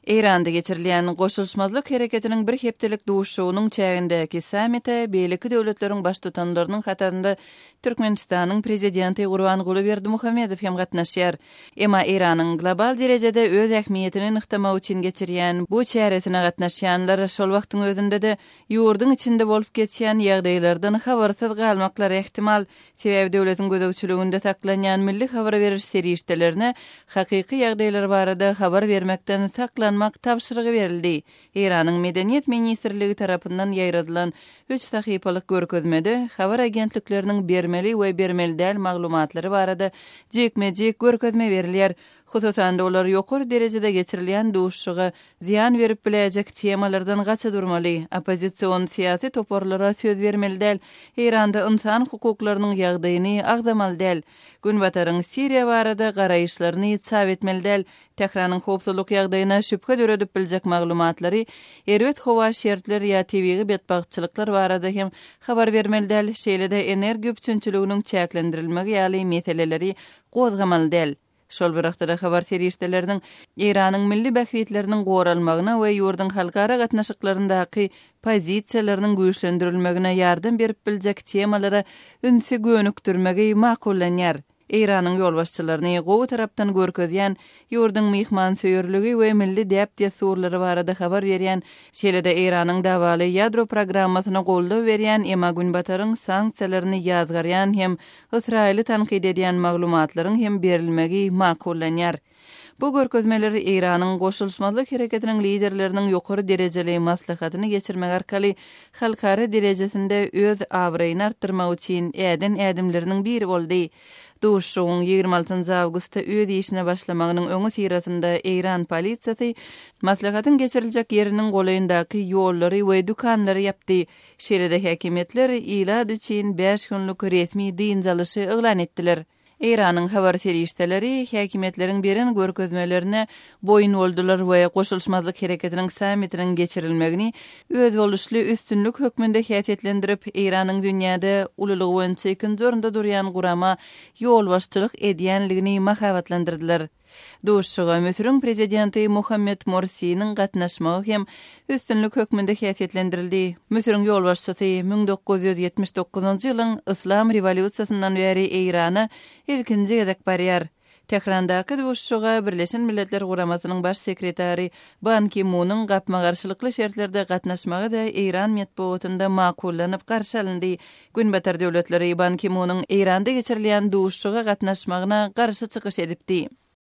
Eýranda geçirilýän Goşulyşmazlyk Hereketiniň bir hepdelik duşuşygynyň çägindäki sammite beýleki döwletleriň baştutanlarynyň hatarynda Türkmenistanyň Prezidenti Gurbanguly Berdimuhamedow hem gatnaşýar. Emma Eýranyň global derejede öz ähmiýetini nygtamak üçin geçirýän bu çäresine gatnaşýanlar şol wagtyň özünde-de ýurduň içinde bolup geçýän ýagdaýlardan habarsyz galmaklary ähtimal. Sebäbi döwletiň gözegçiliginde saklanýan milli habar beriş serişdelerine hakyky ýagdaýlar barada habar bermekden saklanmak tabşyrygy berildi. Eýranyň Medeniýet ministrligi tarapyndan ýaýradylan üç sahypalyk görkezmede habar agentlikleriniň bermeli we bermeli däl maglumatlary barada jikme-jik görkezme berilýär. Hususan-da, olar ýokary derejede geçirilýän duşuşyga zyýan berip biläýjek temalardan gaça durmaly, oppozision syýasy toparlara söz bermeli däl, Eýranda ynsan hukuklarynyň ýagdaýyny agzamaly däl, Günbataryň Siriýa barada garaýyşlaryny çap etmeli däl, Tähranyň howpsuzlyk ýagdaýyna şübhe döredip biljek maglumatlary, erbet howa şertler ýa tebigy betbagtçylyklar barada hem habar bermeli däl, şeýle-de energiýa üpjünçiliginiň çäklendirilmegi ýaly meseleleri gozgamaly däl. Şol bir wagtda-da habar serişdeleriniň Eýranyň milli bähbitleriniň goralmagyna we ýurduň halkara gatnaşyklaryndaky pozisiýalarynyň güýçlendirilmegine ýardam berip biljek temalara ünsi gönükdirmegi makullanýar. Eýranyň ýolbaşçylaryny gowy tarapdan görkezýän, ýurduň myhmansöýerligi we milli däp-dessurlary barada habar berýän, şeýle-de Eýranyň dawaly ýadro programmasyna goldaw berýän, emma Günbataryň sanksiýalaryny ýazgarýan hem Ysraýyly tankyt edýän maglumatlaryň hem berilmegi makullanýar. Bu görkezmeler Eýranyň Goşulyşmazlyk Hereketiniň liderleriniň ýokary derejeli maslahatyny geçirmek arkaly halkara derejesinde öz abraýyny artdyrmak üçin äden ädimleriniň biri boldy. Duşuşygyň 26 awgustda öz işine başlamagynyň öňüsyrasynda eýran polisiýasy maslahatyň geçiriljek ýeriniň golaýyndaky ýollary we dükanlary ýapdy. Şeýle-de häkimiýetler ilat üçin bäş günlük resmi dynç alyşy yglan etdiler. Eýranyň habar serişdeleri häkimiýetleriň beren görkezmelerine boýun boldular we Goşulyşmazlyk Hereketiniň sammitiniň geçirilmegini özboluşly üstünlik hökmünde häsiýetlendirip, Eýranyň dünýäde ululygy boýunça ikinji orunda durýan gurama ýolbaşçylyk edýänligini mahabatlandyrdylar. Duşuşyga Müsüriň Prezidenti Muhammed Morsiniň gatnaşmagy hem üstünlik hökmünde häsiýetlendirildi. Müsüriň ýolbaşçysy 1979-njy ýylyň Yslam rewolýusiýasyndan bäri Eýrana ilkinji gezek barýar. Tährandaky duşuşyga Birleşen Milletler Guramasynyň Baş sekretary Ban Ki Munyň gapma-garşylykly şertlerde gatnaşmagy-da eýran metbugatynda makullanyp garşy alyndy. Günbatar döwletleri Ban Ki Munyň Eýranda geçirilýän duşuşyga gatnaşmagyna garşy çykyş edipdi.